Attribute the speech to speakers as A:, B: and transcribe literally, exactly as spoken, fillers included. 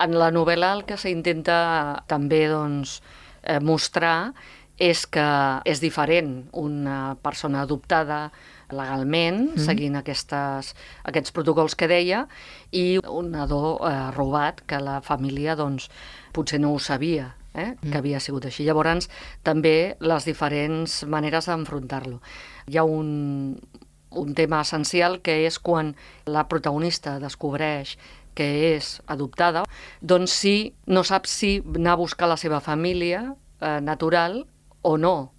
A: En la novel·la el que s'intenta també doncs, eh, mostrar és que és diferent una persona adoptada legalment, mm. seguint aquestes, aquests protocols que deia, i un nadó eh, robat, que la família doncs, potser no ho sabia, eh, mm. que havia sigut així. Llavors, també les diferents maneres d'enfrontar-lo. Hi ha un, un tema essencial que és quan la protagonista descobreix que és adoptada, doncs sí, no sap si anar a buscar la seva família eh, natural o no.